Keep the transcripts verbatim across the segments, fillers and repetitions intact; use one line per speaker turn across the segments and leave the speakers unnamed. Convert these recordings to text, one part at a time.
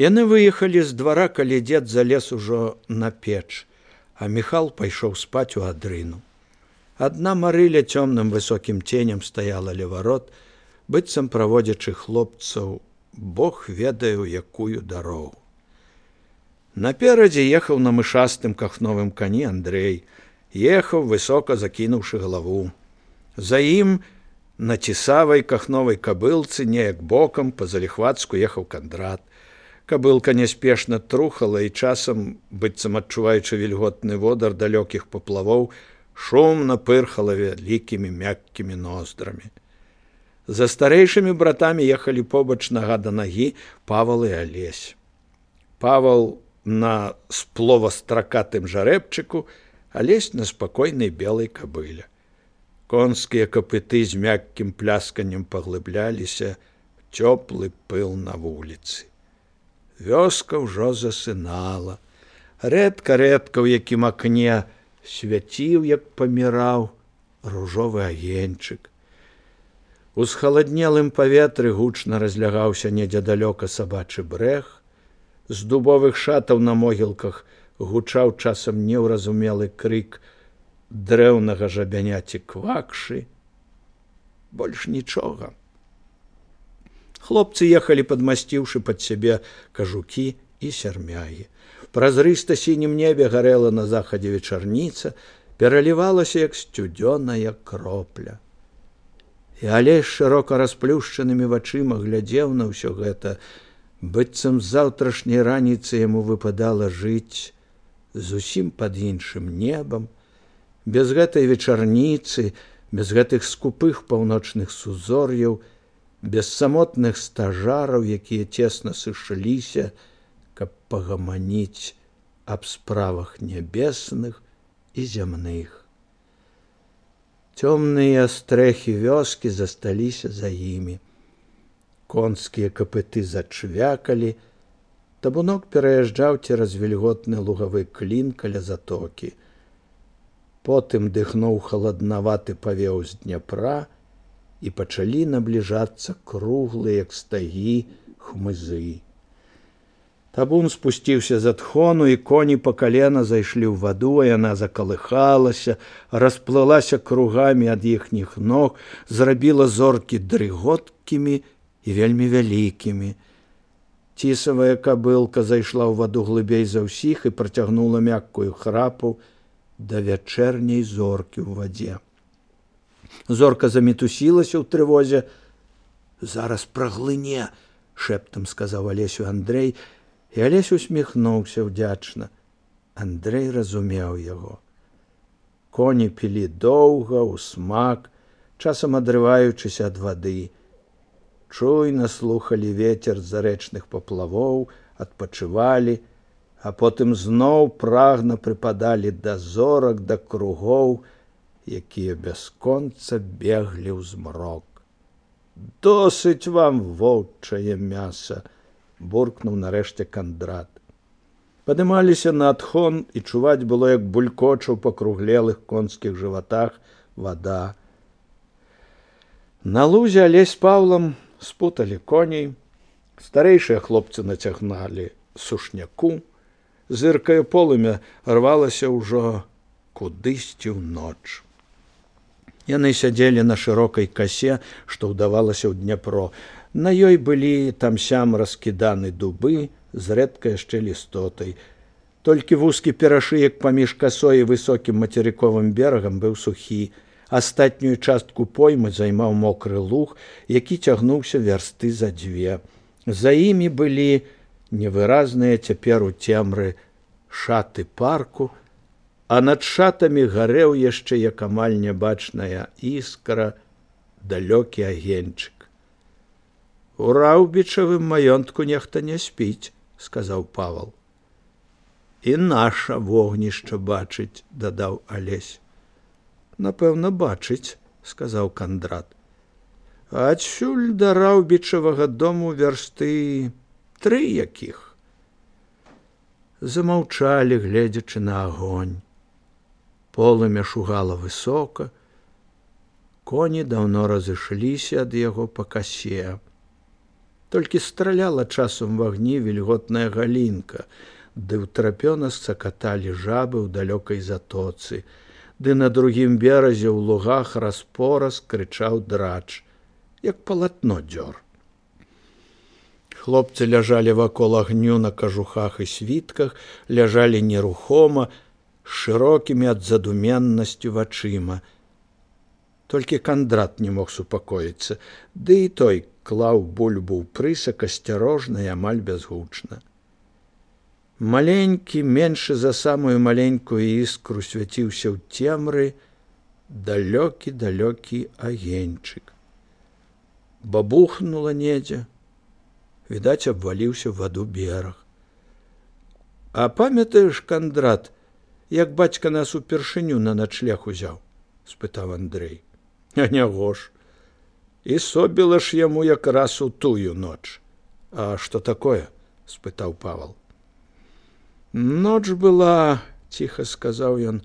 Яны выехалі з двара, калі дзед залез ужо на печ, а Міхал пайшоў спаць у адрыну. Адна Марыля цёмным высокім ценем стаяла ля варот, быццам праводзячы хлопцаў, Бог ведае ў якую дарогу. Наперадзе ехаў на мышастым кахновым кані Андрэй, ехаў, высока закінуўшы галаву. За ім на цісавай кахновай кабылцы неяк бокам па-заліхвацку ехаў Кандрат. Кабылка няспешна трухала і часам, быццам адчуваючы вільготны водар далёкіх паплавоў, шумна пырхала вялікімі мяккімі ноздрамі. За старэйшымі братамі ехалі побач нага да нагі Павал і Алесь. Павал на сплова-стракатым жарэбчыку, Алесь на спакойнай белай кабыле. Конскія капыты з мяккім плясканнем паглыбляліся в цёплы пыл на вуліцы. Вёска ўжо засынала. Рэдка-рэдка ў якім акне свяціў, як паміраў, ружовы агеньчык. У схаладнелым паветры гучна разлягаўся недзе далёка сабачы брэх. З дубовых шатаў на могілках гучаў часам неўразумелы крык дрэўнага жабяняці квакшы. Больш нічога. Хлопцы ехалі, падмасціўшы пад сябе кажукі і сярмягі. Празрыста сінім небе гарэла на захадзе вечарніца, пералівалася, як сцюдзёная кропля. І Алесь шырока расплюшчанымі вачыма глядзеў на ўсё гэта, быццам з заўтрашняй раніцы яму выпадала жыць зусім пад іншым небам, без гэтай вечарніцы, без гэтых скупых паўночных сузор'яў, без самотных стажараў, якія цесна сышліся, каб пагаманіць аб справах нябесных і зямных. Цёмныя стрэхі вёскі засталіся за імі. Конскія капыты зачвякалі, табунок пераязджаў цераз вільготны лугавы клін каля затокі. Потым дыхнуў халаднаваты павеў з Дняпра, і пачалі набліжацца круглыя, як стагі, хмызы. Табун спусціўся з адхону, і коні па калена зайшлі ў ваду, а яна закалыхалася, расплылася кругамі ад іхніх ног, зрабіла зоркі дрыготкімі і вельмі вялікімі. Цісавая кабылка зайшла ў ваду глыбей за ўсіх і працягнула мяккую храпу да вячэрняй зоркі ў вадзе. Зорка замітусілася ў трывозе. «Зараз праглыне», – шэптам сказаў Алесю Андрэй, і Алесь усміхнуўся ўдзячна. Андрэй разумеў яго. Коні пілі доўга, усмак, часам адрываючыся ад вады. Чуйна слухалі вецер зарэчных паплавоў, адпачывалі, а потым зноў прагна прыпадалі да зорак, да кругоў, якія бясконца беглі ў змрок. «Досыць вам воўчае мяса», – буркнуў нарэшце Кандрат. Падымаліся на адхон, і чуваць было, як булькоча ў пакруглелых конскіх жыватах вада. На лузе Алесь з Паўлам спуталі коней, старэйшыя хлопцы нацягналі сушняку, зыркае полымя рвалася ўжо кудысьці ў ноч. Яны сядзелі на шырокай касе, што ўдавалася ў Дняпро. На ёй былі там-сям раскіданы дубы, зрэдка яшчэ лістотай. Толькі вузкі перашыек паміж касой і высокім мацерыковым берагам быў сухі. Астатнюю частку поймы займаў мокры луг, які цягнуўся вярсты за дзве. За імі былі невыразныя цяпер у цемры шаты парку, а над шатамі гарэў яшчэ, як амаль нябачная іскра, далёкі агеньчык. «У раўбічавым маёнтку нехта не спіць», – сказаў Павал. «І наша вогнішча бачыць», – дадаў Алесь. «Напэўна, бачыць», – сказаў Кандрат. «Адсюль да раўбічавага дому вярсты тры якіх». Замаўчалі, гледзячы на агонь. Полымя шугала высока. Коні даўно разышліся ад яго па касе. Толькі страляла часам в агні вільготная галінка, ды ўтрапёна сцакаталі жабы ў далёкай затоцы, ды на другім беразе ў лугах распораз крычаў драч, як палатно дзёр. Хлопцы ляжалі вакол агню на кажухах і світках, ляжалі нерухома, з шырокімі ад задуменнасцю вачыма. Толькі Кандрат не мог супакоіцца, ды і той клаў бульбу ў прысак асцярожна і амаль бязгучна. Маленькі, меншы за самую маленькую іскру свяціўся ў цемры далёкі-далёкі агеньчык. Бабухнула недзе, відаць, абваліўся ў ваду бераг. А памятаеш, Кандрат, як бацька нас упершыню на начлег узяў? Спытаў Андрэй. А няго ж. І собіла ж яму якраз у тую ноч. А што такое? Спытаў Павал. Ноч была, ціха сказаў ён,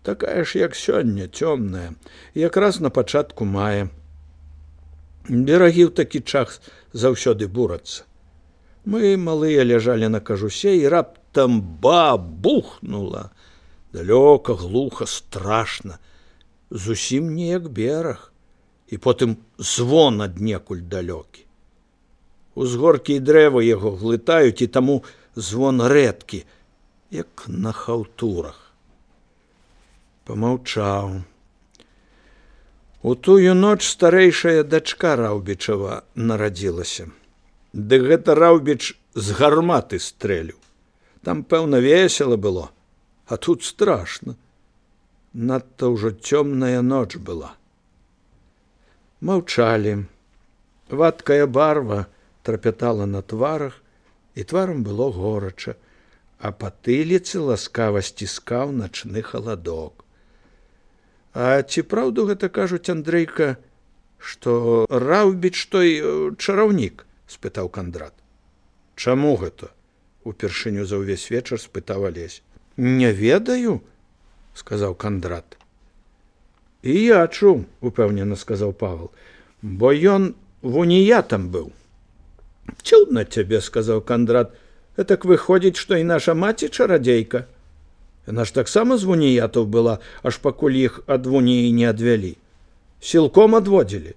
такая ж, як сёння, цёмная, якраз на пачатку мая. Берагі ў такі час заўсёды бурацца. Мы, малыя, ляжалі на кажусе, і раптам бабухнула. Далёка, глуха, страшна. Зусім не як бераг. І потым звон аднекуль далёкі. Узгоркі і дрэвы яго глытаюць, і таму звон рэдкі, як на хаўтурах. Памаўчаў. У тую ноч старэйшая дачка Раўбічава нарадзілася. Ды гэта Раўбіч з гарматы стрэліў. Там, пэўна, весела было, а тут страшна. Надта ўжо цёмная ноч была. Маўчалі. Вадкая барва трапятала на тварах, і тварам было горача, а патыліцы ласкава сціскаў начны халадок. А ці праўду гэта кажуць, Андрейка, што Раўбіч той чараўнік? Спытаў Кандрат. Чаму гэта? Упершыню за ўвесь вечар спытаў Алесь. Не ведаю, сказаў Кандрат. І я чуў, упэўнена сказаў Павал, бо ён вуніятам быў. Цудна цябе, сказаў Кандрат, гэтак выходзіць, што і наша маці чарадзейка. Яна ж таксама з вуніятаў была, аж пакуль іх ад вуніі не адвялі. Сілком адводзілі.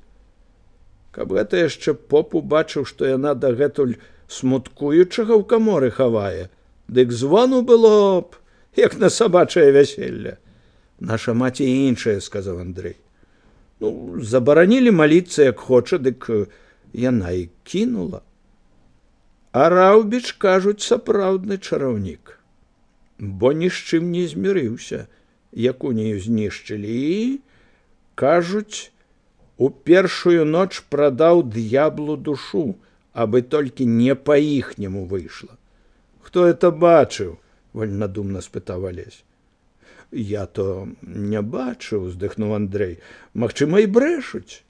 Каб гэта яшчэ поп убачыў, што яна дагэтуль смуткуючага ў каморы хавае, дык звону было б, як на сабачае вяселле. Наша маці іншая, сказаў Андрэй. Ну, забаранілі маліцца, як хоча, дык яна і кінула. А Раўбіч, кажуць, сапраўдны чараўнік, бо ні з чым не змірыўся, як унію знішчылі, і, кажуць, у першую ноч прадаў д'яблу душу, абы толькі не па-іхняму выйшла. Хто это бачыў? Вольнадумна спытаў Алесь. Я то не бачыў, уздыхнуў Андрэй. Магчыма, і брэшуць.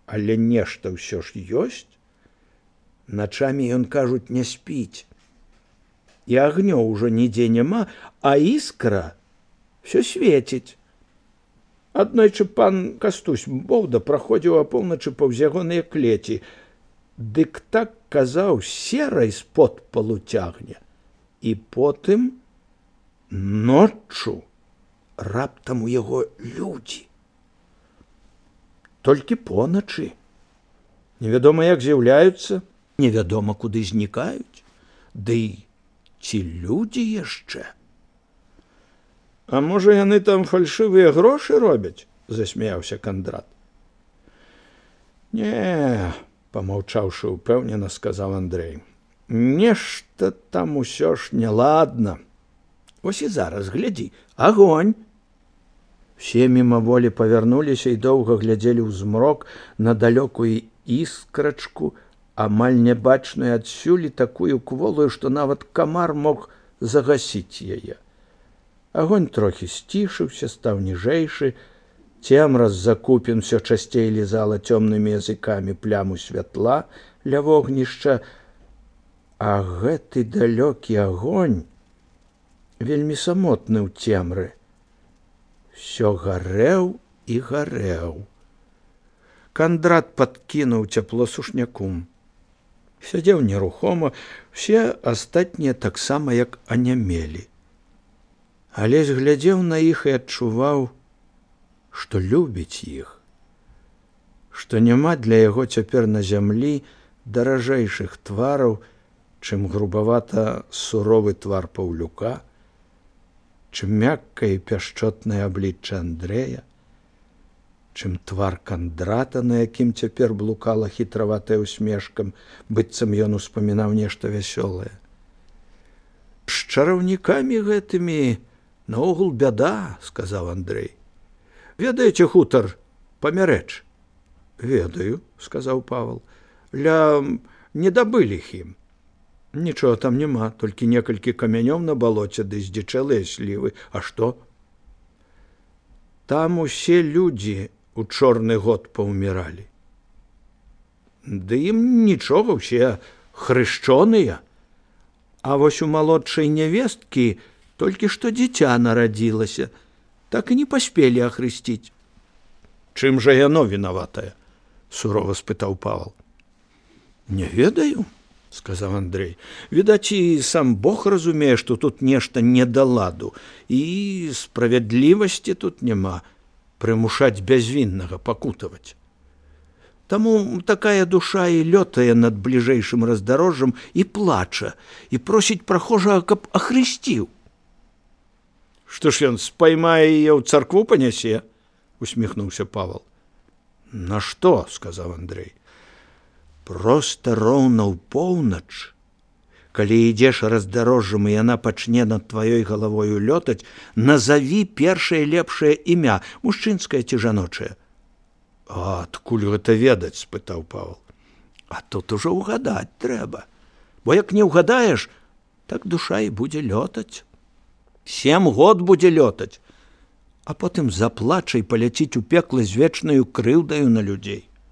Але нешта ўсё ж ёсць. Начамі ён, кажуць, не спіць. І агнё ўжо нідзе няма, а іскра всё свеціць. Аднойчы пан Кастусь Боўда праходзіў апоўначы паўз ягоныя клеці. Дык так, казаў, серай з-под полу цягне. І потым ноччу раптам у яго людзі. Толькі поначы. Невядома, як з'яўляюцца, невядома, куды знікаюць. Ды ці людзі яшчэ? А можа, яны там фальшывыя грошы робяць? Засмяяўся Кандрат. Не, памаўчаўшы упэўнена, сказаў Андрэй. Нешта там усё ж няладна. Вось і зараз, глядзі, агонь. Все мімаволі павярнуліся і доўга глядзелі ў змрок на далёкую іскрачку, амаль нябачную адсюль, такую кволую, што нават камар мог загасіць яе. Агонь трохі сцішыўся, стаў ніжэйшы, цемра з-за купін усё часцей лізала цёмнымі языкамі пляму святла ля вогнішча, а гэты далёкі агонь, вельмі самотны ў цемры, всё гарэў і гарэў. Кандрат падкінуў цяпло сушняку. Сядзеў нерухома, усе астатнія таксама як анямелі. Алесь глядзеў на іх і адчуваў, што любіць іх, што няма для яго цяпер на зямлі даражэйшых твараў, чым грубавата суровы твар Паўлюка, чым мяккае і пяшчотнае аблічча Андрэя, чым твар Кандрата, на якім цяпер блукала хітраватая усмешкам, быццам ён успамінаў нешта вясёлае. З чараўнікамі гэтымі наогул бяда, сказаў Андрэй. Ведаеце хутар Памярэч? Ведаю, сказаў Павал. Ля недабылых ім. Нічога там няма, толькі некалькі камянёў на балоце ды здзічэлыя слівы. А што? Там усе людзі у чорны год паўміралі. Ды ім нічога, усе хрышчоныя. А вось у малодшай нявесткі толькі што дзіця нарадзілася, так і не паспелі ахрысціць. Чым жа яно вінаватае? Сурова спытаў Павал. Не ведаю, сказаў Андрэй. Відаць, і сам Бог разумее, што тут нешта не да ладу, і справядлівасці тут няма, прымушаць бязвіннага пакутаваць. Таму такая душа і лётае над бліжэйшым раздарожжам і плача, і просіць прахожага, каб ахрысціў. Што ж ён спаймае яе ў царкву панясе? Усміхнуўся Павал. На што? Сказаў Андрэй. Проста роўна ў поўнач, калі ідзеш раздарожжам і яна пачне над тваёй галавою лётаць, назаві першае лепшае імя, мужчынскае ці жаночае. А адкуль гэта ведаць? Спытаў Павал. А тут ужо ўгадаць трэба. Бо як не ўгадаеш, так душа і будзе лётаць. Сем год будзе лётаць, а потым заплача і паляціць у пекла з вечнаю крыўдаю на людзей.